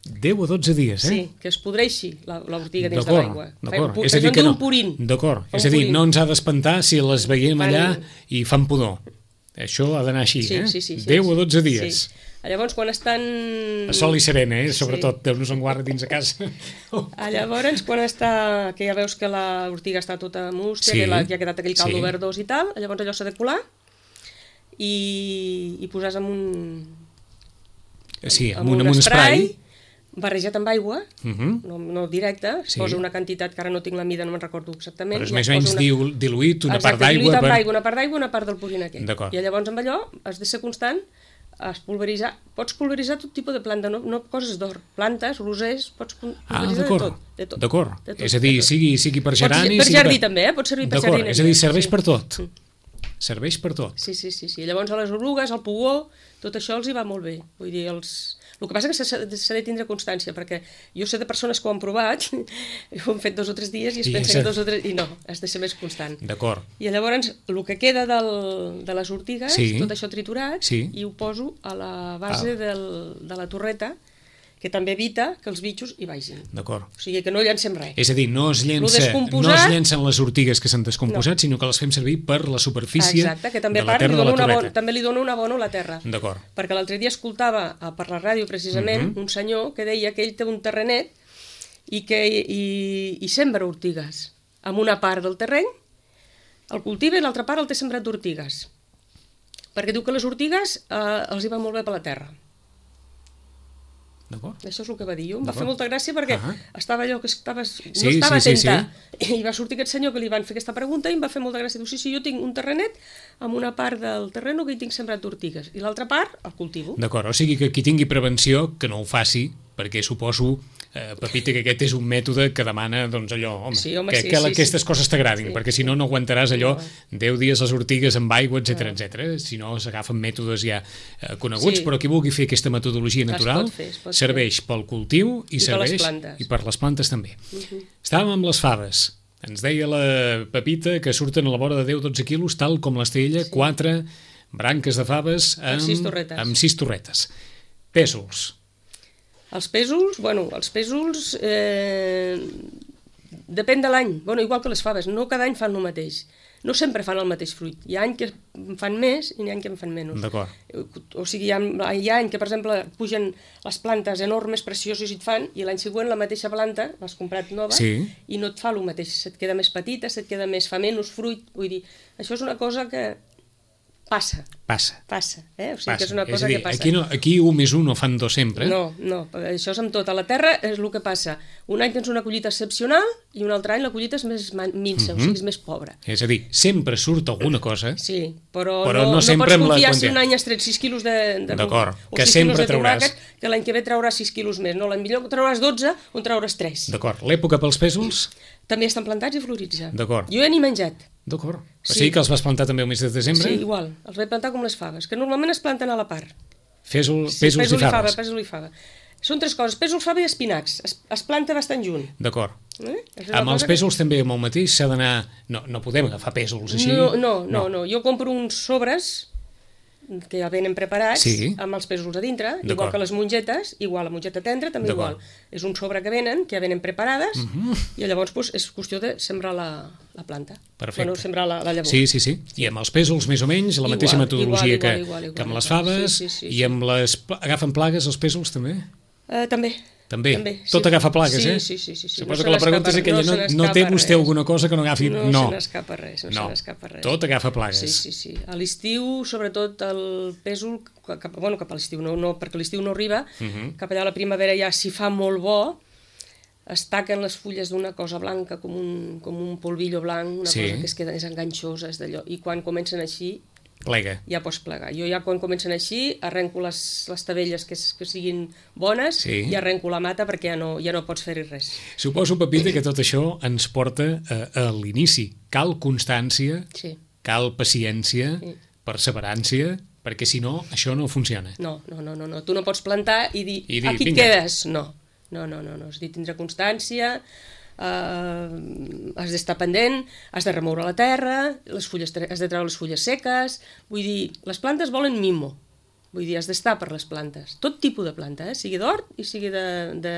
deu a dotze dies, eh? Sí, que es podreixi la- l'ortiga dins de D'acord, l'aigua. Fa d'acord. un pu- És a dir això en que diu no. un purín. D'acord. Fa És un a dir, purín. no ens ha d'espantar si les veiem Fan- allà i fan pudor. Això ha d'anar així, Sí, eh? sí, sí, sí, deu sí. o dotze dies. Sí. Llavors, quan estan... A sol i serena, eh? Sí. Sobretot, Déu-nos en guarda dins de casa. Ah, llavors, quan està, que ja veus que l'ortiga està tota mústia, Sí, que la, ja ha quedat aquell caldo sí. verdós i tal, llavors allò s'ha de colar i, i posar amb un, Sí, amb, amb un, un amb un spray. barrejat amb aigua, uh -huh. no, no directe, es Sí. posa una quantitat que ara no tinc la mida, no me'n recordo exactament. Però és i més es o menys posa una... diluït, una part Exacte, d'aigua... diluït amb per... aigua, una part d'aigua, una part del purín aquest. D'acord. I llavors amb allò has de ser constant, es pulveritzar, pots pulveritzar tot tipus de planta, no, no coses d'or, plantes, rosers, pots pulveritzar Ah, de d'acord, tot. De tot, d'acord. de tot, És a dir, de tot. sigui, sigui per Pots- gerani... per sigui jardí també, eh? Pot servir per D'acord, jardineria. és a dir, serveix Sí. per tot. Mm. Serveix per tot. Sí, sí, sí, sí. Llavors a les orugues, al pugó, tot això els hi va molt bé. Vull dir, els... El que passa és que s'ha s'ha de tindre constància, perquè jo sé de persones que ho han provat, ho han fet dos o tres dies i es I pensen ja que dos o tres... I no, has de ser més constant. D'acord. I llavors, el que queda del, de les ortigues, Sí. tot això triturat, Sí. i ho poso a la base Ah. del, de la torreta, que també evita que els bitxos hi vagin. D'acord. O sigui, que no llancem res. És a dir, no es, llença, no descomposat- es llencen les ortigues que s'han descomposat, no. sinó que les fem servir per la superfície Exacte, que també, de a la part, li terra de la dona una torreta. bona, també li dona una bona a la terra. D'acord. Perquè l'altre dia escoltava eh, per la ràdio, precisament, Mhm. un senyor que deia que ell té un terrenet i que i, i sembra ortigues. Amb una part del terreny el cultiva i l'altra part el té sembrat d'ortigues. Perquè diu que les ortigues eh, els hi va molt bé per la terra. D'acord. Això és el que va dir. Jo em va D'acord. fer molta gràcia perquè Ah. estava allò que estava, Sí, no estava sí, sí, atenta. I va sortir aquest senyor que li van fer aquesta pregunta i em va fer molta gràcia. Diu, sí, sí, jo tinc un terrenet amb una part del terreno que hi tinc sembrat d'ortigues i l'altra part el cultivo. D'acord, o sigui que qui tingui prevenció que no ho faci, perquè suposo, eh, Pepita, que aquest és un mètode que demana, doncs allò, home, Sí, home, que, sí, que sí, aquestes sí. coses t'agradin, Sí, perquè sí. si no, no aguantaràs allò No. deu dies les ortigues amb aigua, etcètera, etcètera. Si no, s'agafen mètodes ja eh, coneguts, Sí. però qui vulgui fer aquesta metodologia Es natural pot fer, es pot serveix pel cultiu i, I per serveix les plantes. i per les plantes també. Uh-huh. Estàvem amb les faves. Ens deia la Pepita que surten a la vora de deu a dotze quilos, tal com les té ella, Sí. quatre branques de faves amb, Amb sis torretes. amb sis torretes. Pèsols. Els pèsols, bueno, els pèsols eh, depèn de l'any, bueno, igual que les faves, no cada any fan el mateix. No sempre fan el mateix fruit. Hi ha any que en fan més i hi ha any que en fan menys. D'acord. O sigui, hi ha, hi ha any que, per exemple, pugen les plantes enormes, precioses i et fan, i l'any següent la mateixa planta, l'has comprat nova, Sí. i no et fa el mateix. Se't queda més petita, se't queda més, fa menys fruit. Vull dir, això és una cosa que passa, Passa. passa, eh? O sigui Passa. que és una és cosa a dir, que passa. aquí, no, aquí un més un no fan dos sempre. No, no, això és amb tot. A la terra és el que passa. Un any tens una collita excepcional i un altre any la collita és més ma- minsa, Mhm. o sigui, és més pobra. És a dir, sempre surt alguna cosa. Sí, però, Però no, no no, sempre pots amb la confiar si quantitat. un any has tret sis quilos de, de D'acord, o que sis sempre quilos de trauràs. tomàquet, que l'any que ve trauràs sis quilos més. No, l'any millor trauràs dotze o en trauràs tres. D'acord. L'època pels pèsols? També estan plantats i floritzen. D'acord. Jo he ni menjat. D'acord. O Sí. sigui que els vas plantar també el mes de desembre? Sí, igual. Els vaig plantar com les faves, que normalment es planten a la part. Pèsol, Sí, pèsols pèsol i faves. pèsol i fava. Són tres coses, pèsol, fava i espinacs. Es, es planta bastant junt. D'acord. Eh? És una Amb els cosa que- pèsols també amb el mateix s'ha d'anar... No, no podem agafar pèsols així. No, no, no, no. Jo compro uns sobres que ja venen preparats, Sí. amb els pèsols a dintre, D'acord. igual que les mongetes, igual la mongeta tendra, també D'acord. igual. És un sobre que venen, que ja venen preparades, Mhm. i llavors pues, és qüestió de sembrar la, la planta. Perfecte. Bueno, sembrar la, la llavor. Sí, sí, sí. I amb els pèsols més o menys, la Igual, mateixa metodologia igual, que, igual, igual, igual, que amb les igual. faves, Sí, sí, sí, i sí. amb les... pla- Agafen plagues els pèsols també? Uh, també. També? També, Tot sí. agafa plagues, sí, eh? Sí, sí, sí. sí. Suposo No que la se pregunta és n'escapa- aquella, se no, no, n'escapa té vostè res. alguna cosa que no agafi... No, no. se n'escapa res, no, No. se n'escapa res. Tot agafa plagues. Sí, sí, sí. A l'estiu, sobretot el pèsol, cap, bueno, cap a l'estiu, no, no, perquè l'estiu no arriba, Uh -huh. cap allà a la primavera ja, si fa molt bo, es taquen les fulles d'una cosa blanca, com un, com un polvillo blanc, una Sí. cosa que es queda, és enganxosa, és d'allò, i quan comencen així, Plega. ja pots plegar. Jo ja quan comencen així arrenco les, les tabelles que, que siguin bones Sí. i arrenco la mata perquè ja no, ja no pots fer-hi res. Suposo, Pepita, que tot això ens porta a, a l'inici. Cal constància, Sí. cal paciència, Sí. perseverància, perquè si no, això no funciona. No, no, no, no, no. Tu no pots plantar i dir, I dir, aquí et vinga. quedes. No, no, no, no, no. És a dir, tindre constància, eh, has d'estar pendent, has de remoure la terra, les fulles, has de treure les fulles seques, vull dir, les plantes volen mimo, vull dir, has d'estar per les plantes, tot tipus de planta, eh? Sigui d'hort i sigui de, de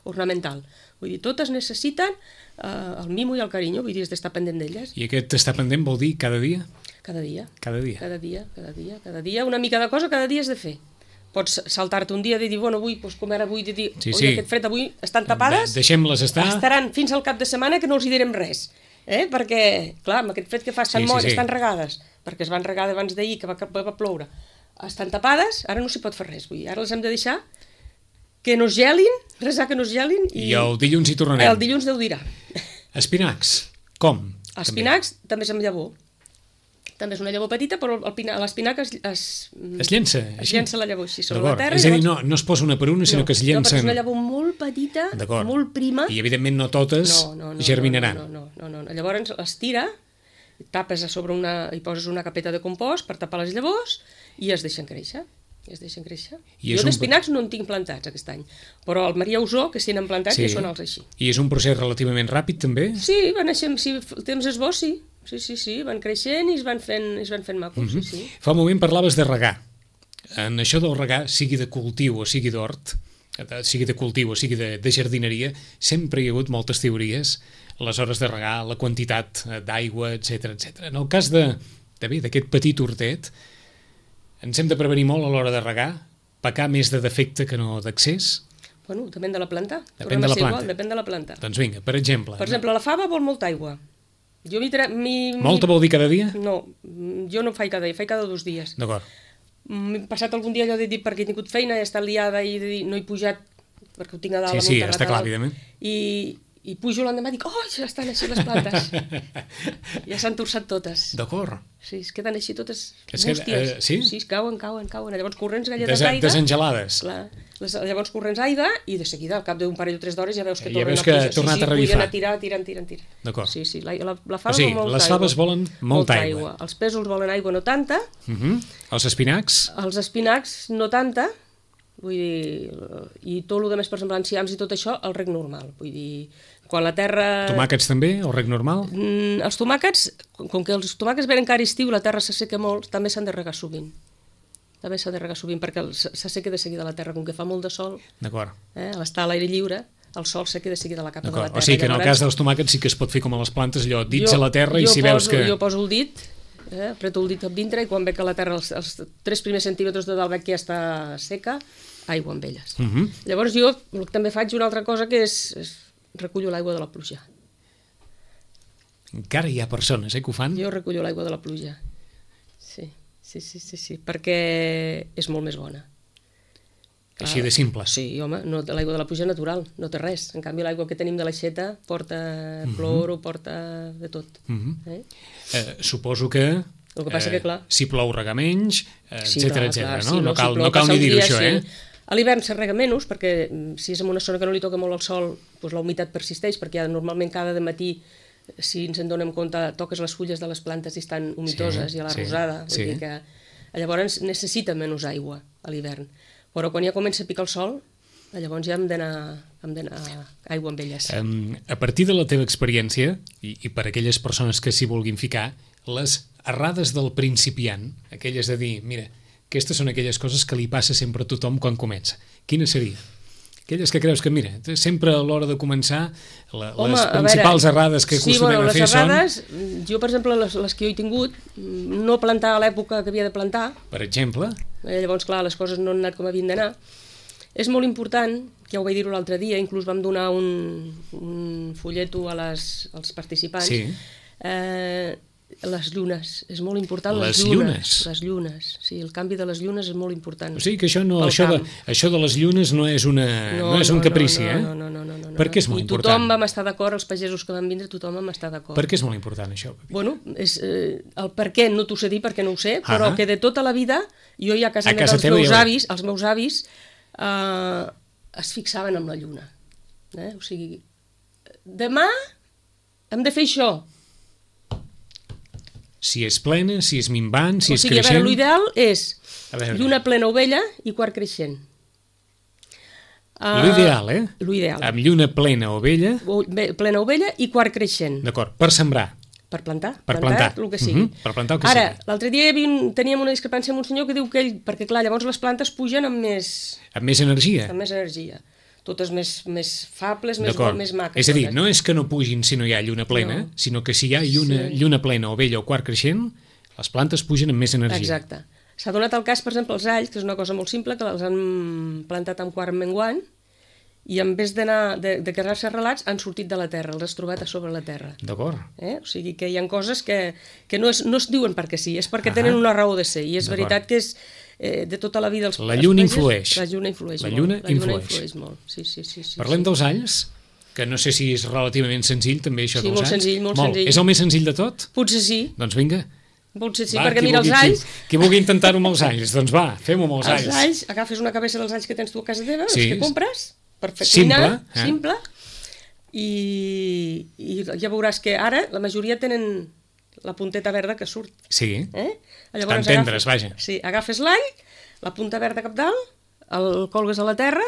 ornamental, vull dir, totes necessiten eh, el mimo i el carinyo, vull dir, has d'estar pendent d'elles, I aquest estar pendent vol dir cada dia? cada dia. Cada dia. Cada dia, cada dia, cada dia, una mica de cosa cada dia has de fer. Pots saltar-te un dia i dir, bueno, avui, doncs, com era avui, de dir, Sí, oi, sí. aquest fred avui estan tapades, De- Deixem-les estar. estaran fins al cap de setmana que no els hi direm res. Eh? Perquè, clar, amb aquest fred que fa estan, Sí, sí, molt, sí. estan regades, perquè es van regar abans d'ahir, que va, que va ploure. Estan tapades, ara no s'hi pot fer res, vull dir, ara les hem de deixar que no es gelin, resar que no es gelin. I, I el dilluns hi tornarem. El dilluns Déu dirà. Espinacs, com? Espinacs també, també és amb llavor. També és una llavor petita, però l'espinac es, es, es llença, es llença la llavor així sobre la terra. És a dir, no, no es posa una per una, sinó no, que es llencen... No, perquè és una llavor molt petita, molt prima. I evidentment no totes no, no, no, germinaran. No, no, no, no, no. Llavors es tira, tapes a sobre una... i poses una capeta de compost per tapar les llavors i es deixen créixer. I es deixen créixer. I jo d'espinacs un... no en tinc plantats aquest any, però el Maria Usó, que s'hi han plantat, sí. ja són els així. I és un procés relativament ràpid, també? Sí, van néixer, si el temps és bo, sí. Sí, sí, sí, van creixent i es van fent, es van fent macos, mm-hmm. sí, sí. Fa un moment parlaves de regar. En això del regar, sigui de cultiu o sigui d'hort, sigui de cultiu o sigui de, de jardineria, sempre hi ha hagut moltes teories, les hores de regar, la quantitat d'aigua, etcètera, etcètera. En el cas de, de bé, d'aquest petit hortet, ens hem de prevenir molt a l'hora de regar, pecar més de defecte que no d'accés? Bueno, depèn de la planta. Depèn de la planta. Igual, depèn de la planta. Doncs vinga, per exemple. Per exemple, la fava vol molta aigua. Jo mi tra... mi... Molta vol dir cada dia? No, jo no faig cada dia, faig cada dos dies. D'acord. M'he passat algun dia allò de dir perquè he tingut feina, he estat liada i de dir, no he pujat perquè ho tinc a dalt. Sí, sí, està clar, evidentment. I, i pujo l'endemà i dic, oh, ja estan així les plantes. Ja s'han torçat totes. D'acord. Sí, es queden així totes és que, bústies. Uh, sí? Sí, es cauen, cauen, cauen. Llavors corrents galletes Des, d'aigua. Desengelades. Clar. Les, llavors corrents aigua i de seguida, al cap d'un parell o tres d'hores, ja veus que ja tornen veus que a pujar. ha tornat sí, sí, a revifar. Sí, a tirar, tiren, tiren, tiren. D'acord. Sí, sí, la, la, la fava o sigui, vol molta les faves aigua. volen molta, molta aigua. aigua. Els pèsols volen aigua, no tanta. Uh -huh. Els espinacs? Els espinacs, no tanta. Vull dir, i tot el que més, per exemple, enciams i tot això, el rec normal. Vull dir, quan la terra... Tomàquets també, el rec normal? Mm, els tomàquets, com que els tomàquets venen encara estiu, la terra s'asseca molt, també s'han de regar sovint. També s'ha de regar sovint, perquè s'asseca de seguida la terra, com que fa molt de sol. D'acord. Eh, a l'estar a l'aire lliure, el sol s'asseca de seguida la capa de la terra. O sigui que en el cas dels tomàquets sí que es pot fer com a les plantes, allò, dits jo, a la terra i si poso, veus que... Jo poso el dit, eh, apreto el dit a dintre i quan veig que la terra, els, els tres primers centímetres de dalt veig que ja està seca, aigua amb elles. Uh -huh. Llavors jo també faig una altra cosa que és, és recullo l'aigua de la pluja. Encara hi ha persones eh, que ho fan? Jo recullo l'aigua de la pluja. Sí, sí, sí, sí, sí, perquè és molt més bona. Clar, així de simple. Sí, home, no, l'aigua de la pluja natural, no té res. En canvi, l'aigua que tenim de l'aixeta porta cloro, uh -huh. porta de tot. Uh -huh. eh? Eh, suposo que... El que passa eh, que, clar... Si plou rega menys, etcètera, sí, etcètera, no? Sí, no, no cal, si plou, no cal ni dir-ho, això, sí. eh? A l'hivern se rega menys, perquè si és en una zona que no li toca molt el sol, doncs la humitat persisteix, perquè ja normalment cada matí, si ens en donem compte, toques les fulles de les plantes i estan humitoses, sí, i a la sí, rosada, sí. Vull dir que llavors necessita menys aigua a l'hivern. Però quan ja comença a picar el sol, llavors ja hem d'anar aigua amb elles. Um, a partir de la teva experiència, i, i per aquelles persones que s'hi vulguin ficar, les errades del principiant, aquelles de dir, mira, aquestes són aquelles coses que li passa sempre a tothom quan comença. Quina seria? Aquelles que creus que, mira, sempre a l'hora de començar, la, Home, les principals veure, errades que acostumem sí, bueno, a fer són... Les errades, jo, per exemple, les, les que jo he tingut, no plantar a l'època que havia de plantar. Per exemple? Eh, llavors, clar, les coses no han anat com havien d'anar. És molt important, ja ho vaig dir-ho l'altre dia, inclús vam donar un, un folleto a les, als participants, sí. eh, les llunes, és molt important les, les llunes. llunes. Les llunes, sí, el canvi de les llunes és molt important. O sigui que això, no, això, de, això de les llunes no és, una, no, no és un no, caprici, no, eh? No, no, no, no, no, no. Per què és molt I important? tothom vam estar d'acord, els pagesos que van vindre, tothom vam estar d'acord. Per què és molt important això? Bueno, és, eh, el per què no t'ho sé dir perquè no ho sé, però ah que de tota la vida, jo ja a casa, a casa dels meus avis, els meus avis eh, es fixaven en la lluna. Eh? O sigui, demà hem de fer això. Si és plena, si és minvant, si o és sigui, creixent... O sigui, l'ideal és lluna plena ovella i quart creixent. Uh, L'ideal, eh? L'ideal. Amb lluna plena ovella... O, plena ovella i quart creixent. D'acord, per sembrar. Per plantar. Per plantar. plantar el que sigui. Uh -huh. Per plantar el que Ara, sigui. l'altre dia teníem una discrepància amb un senyor que diu que ell... Perquè, clar, llavors les plantes pugen amb més... Amb més energia. Amb més energia. Totes més, més fables, més, més maques. És a dir, totes. no és que no pugin si no hi ha lluna plena, no. sinó que si hi ha lluna, sí. lluna plena ovella o quart creixent, les plantes pugen amb més energia. Exacte. S'ha donat el cas, per exemple, els alls, que és una cosa molt simple, que els han plantat amb quart menguant, i en vez d'anar de, de quedar-se arrelats han sortit de la terra, els has trobat a sobre la terra. D'acord. Eh? O sigui que hi ha coses que, que no, es, no es diuen perquè sí, és perquè uh -huh. tenen una raó de ser, i és veritat que és, eh, de tota la vida... Els, La lluna els influeix. La lluna influeix La molt. lluna La lluna influeix. influeix molt. Sí, sí, sí, sí, Parlem sí. dels alls, que no sé si és relativament senzill, també, això Sí, dels molt alls. senzill, molt senzill. És el més senzill de tot? Potser sí, Doncs vinga. potser sí, Va, perquè qui mira, vulgui- els alls... Qui, qui vulgui intentar-ho amb els alls, doncs va, fem-ho amb els alls. Els alls, agafes una cabeça dels alls que tens tu a casa teva, Sí. els que compres, per fer Simple, cuinar, eh? simple, i, i ja veuràs que ara la majoria tenen la punteta verda que surt. Sí, Eh? Estan tendres, vaja. Sí, agafes l'all, la punta verda cap dalt, el colgues a la terra,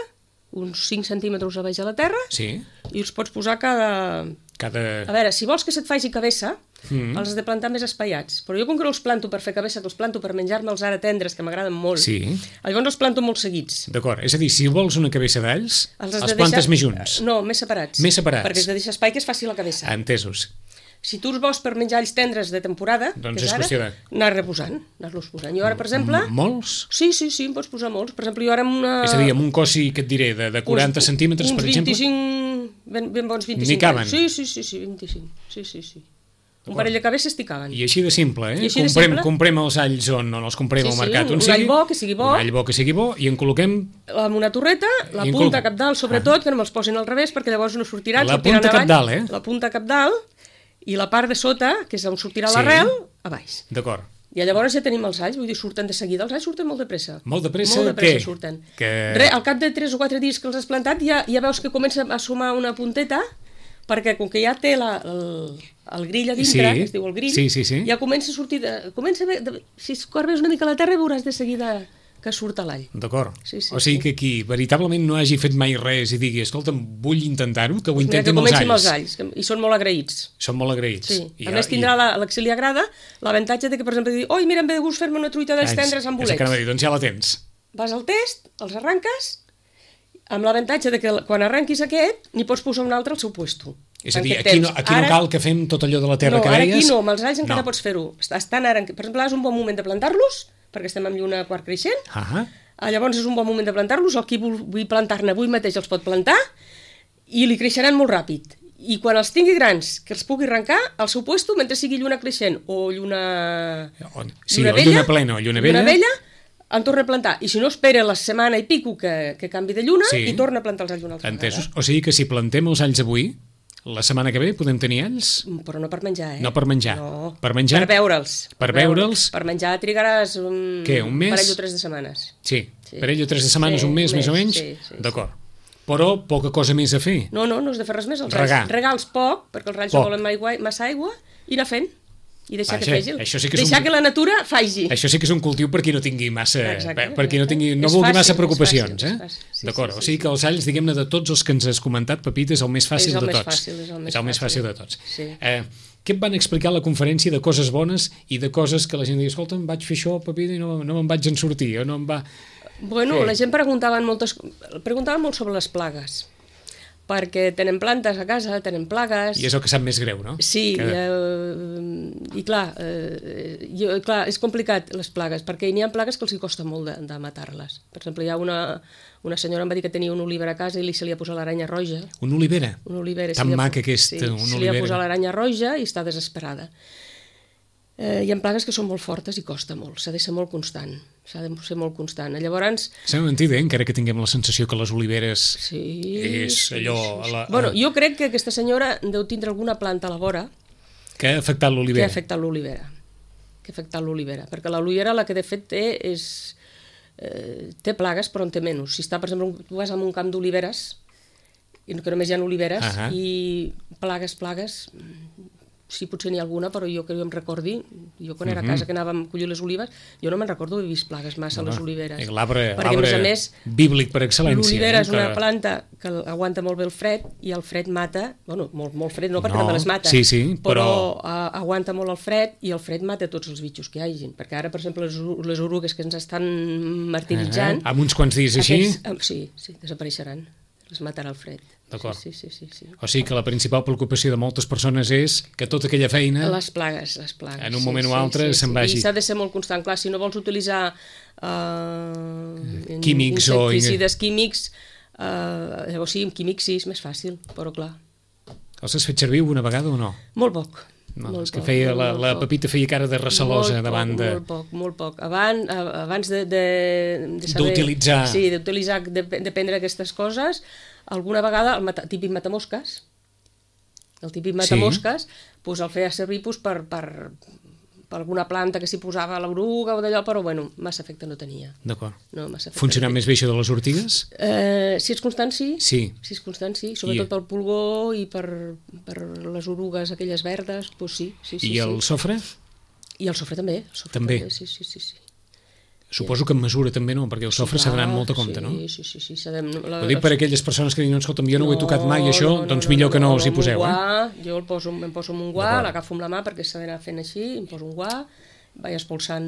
uns cinc centímetres a baix a la terra, sí. i els pots posar cada... Cada... A veure, si vols que se't faci cabeça, Mm. els has de plantar més espaiats. Però jo com que no els planto per fer cabeça, que els planto per menjar-me els ara tendres, que m'agraden molt, Sí. llavors els planto molt seguits. D'acord, és a dir, si vols una cabeça d'alls, has els, de plantes deixar- més junts. No, més separats. Més separats. Perquè has de deixar espai que es faci la cabeça. Entesos. Si tu els vols per menjar alls tendres de temporada, Doncs que és ara, qüestió de- anar reposant, anar-los posant. Jo ara, per exemple... M- Molts? Sí, sí, sí, em pots posar molts. Per exemple, jo ara amb una... És a dir, amb un cossi, que et diré, de, de quaranta uns, centímetres, uns per exemple? vint-i-cinc, ben, ben bons vint-i-cinc. N'hi caben? Sí, sí, sí, sí, vint-i-cinc. Sí, sí, sí. Un parell de cabeces t'hi caben. I així de simple, eh? I així de comprem, simple. comprem els alls on, on els comprem Sí, al sí, mercat. un- on un sigui, all bo, que sigui bo. Un all bo que sigui bo, i en col·loquem Amb una torreta, la I en punta col- cap dalt, sobretot, que no me'ls posin al revés, perquè llavors no sortiran. La sortiran punta avall. cabdalt, eh? La punta cap dalt, i la part de sota, que és on sortirà Sí. l'arrel, a baix. D'acord. I llavors ja tenim els alls, vull dir, surten de seguida. Els alls surten molt de pressa. Molt de pressa, Molt de pressa què? surten. Que- Re, al cap de tres o quatre dies que els has plantat ja, ja veus que comença a sumar una punteta, perquè com que ja té la, el, el grill a dintre, Sí. que es diu el grill, Sí, sí, sí. ja comença a sortir... De, comença a ve, de, si escorbes una mica la terra veuràs de seguida que surt a l'all. D'acord. Sí, sí, o sigui sí. que qui veritablement no hagi fet mai res i digui, escolta'm, vull intentar-ho, que ho Mira, intenti que amb els comenci amb alls. els alls, que, i són molt agraïts. Són molt agraïts. Sí. I A ja- més tindrà i- la, la que se li agrada l'avantatge de que, per exemple, dir, oi, mira, em ve de gust fer-me una truita dels Ah, tendres amb és el que anava a bolets. dir, doncs ja la tens. Vas al test, els arranques, amb l'avantatge de que quan arranquis aquest, n'hi pots posar un altre al seu puesto. És a En dir, aquest aquí no, temps. aquí no Ara- cal que fem tot allò de la terra no, que ara deies. aquí no, amb els alls encara No. pots fer-ho. Estan ara, per exemple, ara és un bon moment de plantar-los, perquè estem en lluna quart creixent. Ah, Ah, llavors és un bon moment de plantar-los, el qui vull, vull plantar-ne avui mateix els pot plantar i li creixeran molt ràpid. I quan els tingui grans, que els pugui arrencar al seu puesto mentre sigui lluna creixent o lluna... On- sí, o lluna plena o lluna vella. Lluna vella, en torna a plantar. I si no, espera la setmana i pico que, que canvi de lluna Sí. i torna a plantar els alls una altra entesos. O sigui que si plantem els alls avui, la setmana que ve podem tenir alls? vegada. Però no per menjar, eh? No per menjar. No. Per menjar? Per veure'ls. Per veure'ls? Per menjar trigaràs un... Què, un mes? parell o tres de setmanes. Sí, Sí. per ell o tres de setmanes, Sí, un mes, un més o mes, menys? sí, sí, D'acord. Però poca cosa més a fer. No, no, no has de fer res més. Els Regar. Regar. Regals poc, perquè els ralls Poc. no volen aigua, massa aigua, i anar fent. I deixar Vaja, que fegi. això sí que és deixar un- que la natura faci. Això sí que és un cultiu per qui no tingui massa... Exacte, per qui no, tingui, no és vulgui fàcil, massa és preocupacions, fàcil, és eh? fàcil. Sí, D'acord, sí, o sí, sigui que els alls, diguem-ne, de tots els que ens has comentat, Pepita, és el més fàcil És el de més tots. fàcil, és el més és el més fàcil fàcil. de tots. Sí. Eh, què et van explicar a la conferència de coses bones i de coses que la gent diu, escolta, em vaig fer això, Pepita, i no, no me'n vaig en sortir, o no em va... Bueno, Què? la gent preguntava moltes, preguntava molt sobre les plagues, perquè tenen plantes a casa, tenen plagues... I és el que sap més greu, no? Sí, Que... eh, i clar, eh, jo, clar, és complicat les plagues, perquè n'hi ha plagues que els hi costa molt de, de matar-les. Per exemple, hi ha una, una senyora em va dir que tenia un oliver a casa i li se li ha posat l'aranya roja. Una olivera. Una olivera. Tan se li ha- maca aquesta, sí, una se li ha olivera. posat l'aranya roja i està desesperada. Eh, hi ha plagues que són molt fortes i costa molt, s'ha de ser molt constant, s'ha de ser molt constant. Llavors, Sembla mentida, eh? Encara que tinguem la sensació que les oliveres sí... és sí, allò... sí, sí. A la, a... Bueno, jo crec que aquesta senyora deu tindre alguna planta a la vora que ha afectat que ha l'olivera. afectat l'olivera, que ha afectat l'olivera, perquè l'olivera la que de fet té és... Eh, té plagues però en té menys. Si està, per exemple, un- tu vas a un camp d'oliveres, i que només hi ha oliveres, Ahà. i plagues, plagues, mm, sí, potser n'hi ha alguna, però jo que jo em recordi, jo quan era a Mhm. casa que anàvem a collir les olives, jo no me'n recordo haver vist plagues massa a les oliveres. Eh, L'arbre Perquè, a més a més, bíblic per excel·lència. l'olivera eh? és una que- planta que aguanta molt bé el fred i el fred mata, bueno, molt, molt fred, no perquè No, també les mata, sí, sí, però- però a, aguanta molt el fred i el fred mata tots els bitxos que hi hagin, perquè ara, per exemple, les, u- les orugues que ens estan martiritzant, Eh, amb uns quants dies així, aquests, eh, sí, sí, desapareixeran, les matarà el fred. D'acord. Sí, sí, sí, sí, sí. o sigui que la principal preocupació de moltes persones és que tota aquella feina... Les plagues, les plagues. En un moment o altre se'n vagi. I s'ha de ser molt constant. Clar, si no vols utilitzar uh, Químics o- insecticides químics, uh, llavors sí, amb químics sí, és més fàcil, però clar, Els has fet servir una vegada o no? molt poc, No, molt és que poc, feia, molt, la, molt la poc. Pepita feia cara de recelosa Molt davant poc, de... Molt poc, molt poc. Abans, abans de, de, de saber... D'utilitzar. Sí, d'utilitzar, de, de prendre aquestes coses, alguna vegada el mata, típic matamosques, el típic matamosques, sí. Pues el feia servir pues, per, per, per alguna planta que s'hi posava l'oruga o d'allò, però bueno, massa efecte no tenia. D'acord. No, massa efecte. Funcionava no més bé això de les ortigues? Eh, si ets constant, sí. Sí. Si ets constant, sí. Sobretot I... pel pulgó i per, per les orugues aquelles verdes, doncs sí. sí, sí I el sí. sofre? I el sofre també. El sofre també? també. Sí, sí, sí, sí. Suposo que en mesura també, no? Perquè el sofre s'ha d'anar amb molta compte, sí, no? Sí, sí, sí. sí la, Ho dic per aquelles persones que diuen, escolta'm, jo no, no ho he tocat mai, això, no, no, doncs millor no, no, que no, no us hi poseu, guà, eh? Jo el poso, em poso amb un guà, l'agafo amb la mà perquè s'ha d'anar fent així, em poso un guà, vaig expulsant...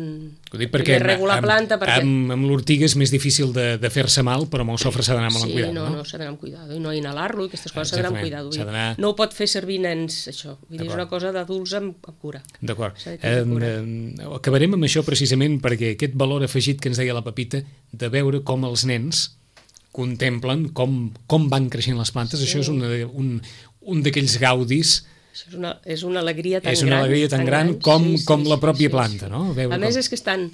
Ho dic perquè amb, la planta perquè... amb, amb l'ortiga és més difícil de, de fer-se mal, però amb el sofre s'ha d'anar molt sí, amb cuidado, no? no? Sí, no, s'ha d'anar amb cuidado, i no inhalar-lo, i aquestes coses s'ha d'anar amb cuidado. D'anar... No ho pot fer servir nens, això. Vull dir, és una cosa d'adults amb, amb cura. D'acord. Eh, eh, acabarem amb això precisament perquè aquest valor afegit que ens deia la Pepita, de veure com els nens contemplen com, com van creixent les plantes, sí. Això és una, un, un d'aquells gaudis. Això és una, és una alegria tan gran. És una alegria tan, tan gran, gran com, sí, sí, com la pròpia sí, planta, sí. no? Veure a més com... és que estan...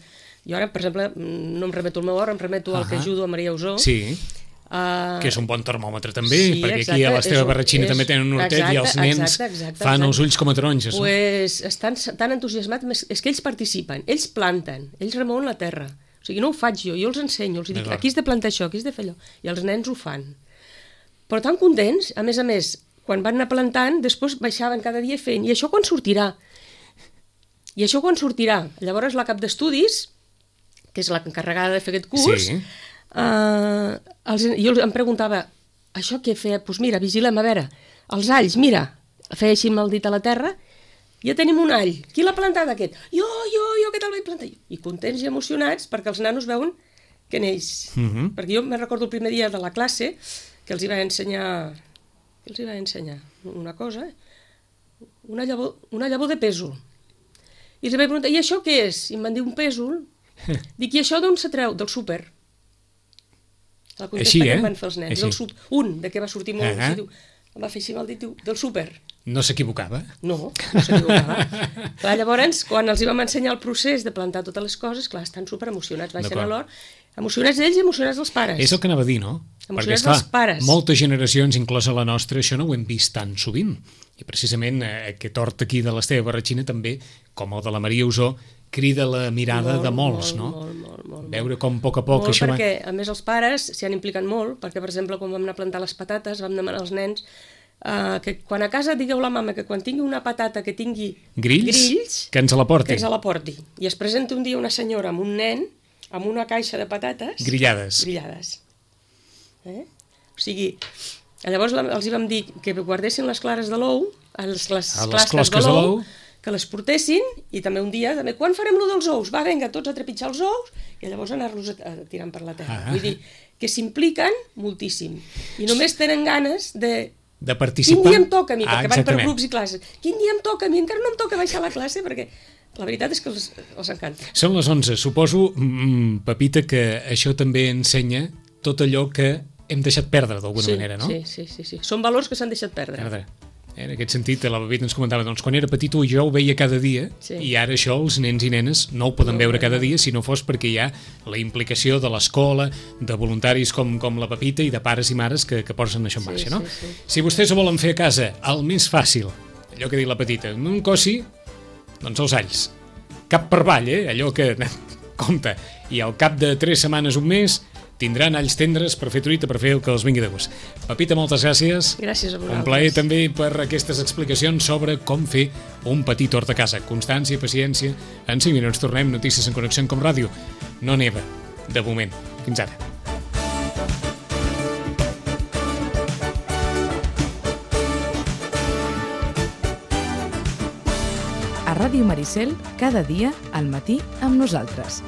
Jo ara, per exemple, no em remeto al meu hort, em remeto uh -huh. al que ajudo a Maria Usó. Sí, uh... que és un bon termòmetre també, sí, perquè exacte, aquí a l'Esteve Barratxina és... també tenen un hortet exacte, i els nens exacte, exacte, fan exacte. Els ulls com a taronges. Pues no? Estan tan entusiasmats, és que ells participen, ells planten, ells remouen la terra. O sigui, no ho faig jo, jo els ensenyo, els dic, aquí has de plantar això, aquí has de fer allò, i els nens ho fan. Però tan contents, a més a més, quan van anar plantant, després baixaven cada dia fent, i això quan sortirà? I això quan sortirà? Llavors la cap d'estudis, que és l'encarregada de fer aquest curs, sí. eh, els, jo em preguntava, això què feia? Doncs pues mira, vigilem, a veure, els alls, mira, feia així amb el dit a la terra, ja tenim un all, qui l'ha plantat aquest? Jo, jo, jo, què te'l vaig plantar? I contents i emocionats perquè els nanos veuen que neix. Uh -huh. Perquè jo me'n recordo el primer dia de la classe que els hi va ensenyar... que els hi va ensenyar una cosa, una llavor, una llavor de pèsol. I els vaig preguntar, i això què és? I em van dir un pèsol. Dic, i això d'on s'atreu? Del súper. La contesta Així, eh? Que em van fer els nens. Del súper. Un, de què va sortir molt, uh -huh. diu, em va fer així mal dit, diu, del súper. No s'equivocava? No, no s'equivocava. Clar, llavors, quan els hi vam ensenyar el procés de plantar totes les coses, clar, estan super emocionats, baixen a l'hort, emocionats ells i emocionats els pares. És el que anava a dir, no? Emocionats Perquè, esclar, els pares. Moltes generacions, inclosa la nostra, això no ho hem vist tan sovint. I precisament eh, aquest hort aquí de l'Esteve Barratxina també, com el de la Maria Usó, crida la mirada molt, de molts, molt, no? Molt, molt, molt, veure com a poc a poc molt, això perquè, va... a més, els pares s'hi han implicat molt, perquè, per exemple, quan vam anar a plantar les patates, vam demanar als nens uh, que quan a casa digueu la mama que quan tingui una patata que tingui grills, grills que ens la porti. Que ens la porti. I es presenta un dia una senyora amb un nen, amb una caixa de patates... Grillades. Grillades. Eh? O sigui, llavors els hi vam dir que guardessin les clares de l'ou, les, les, a les closques de l'ou, que les portessin, i també un dia, també, quan farem lo dels ous? Va, vinga, tots a trepitjar els ous, i llavors anar-los tirant per la terra. Ah. Vull dir, que s'impliquen moltíssim. I només tenen ganes de... de participar. Quin dia em toca a mi? Ah, perquè van per grups i classes. Quin dia em toca a mi? Encara no em toca baixar a la classe, perquè la veritat és que els, els encanta. Són les onze. Suposo, mm, Pepita, que això també ensenya tot allò que hem deixat perdre d'alguna sí, manera, no? Sí, sí, sí, sí. Són valors que s'han deixat perdre. Perdre. En aquest sentit, la Pepita ens comentava, doncs quan era petit jo ho veia cada dia, sí. I ara això els nens i nenes no ho poden no, veure cada dia si no fos perquè hi ha la implicació de l'escola, de voluntaris com, com la Pepita i de pares i mares que, que posen això en marxa, sí, no? Sí, sí. Si vostès ho volen fer a casa, el més fàcil, allò que diu la Petita, un cossi, doncs els alls. Cap per avall, eh? Allò que... compte. I al cap de tres setmanes, un mes, tindran alls tendres per fer truita, per fer el que els vingui de gust. Pepita, moltes gràcies. Gràcies a vosaltres. Un plaer també per aquestes explicacions sobre com fer un petit hort a casa. Constància, paciència. En cinc minuts tornem. Notícies en Connexió com Ràdio. No neva, de moment. Fins ara. A Ràdio Maricel, cada dia al matí amb nosaltres.